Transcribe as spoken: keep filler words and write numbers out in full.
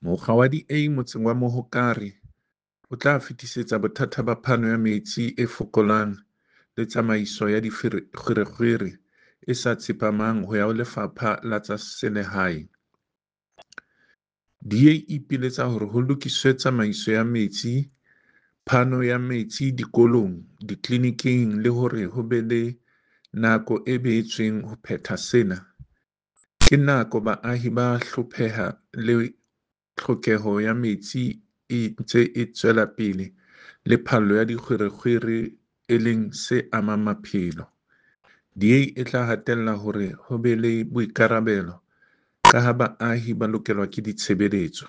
Mokga wa D A motseng wa Mohokare o tla fetisetsa bothata ba phano ya metsi e fokolang le tsamaiso ya dikgwerekgwere e sa tsepamang ho ya ho Lefapha la tsa Selehae. D A e ipiletsa hore ho lokiswe tsamaiso ya metsi, phano ya metsi dikolong, ditleliniking le hore ho be le nako e behetsweng ho phetha sena. Ke nako baahi ba hlopheha le tlhokeho ya metsi e ntse e tswelapele le phallo ya dikgwerekgwere e leng se amang maphelo. D A e tla hatella hore ho be le boikarabelo ka ha baahi ba lokelwa ke ditshebeletso.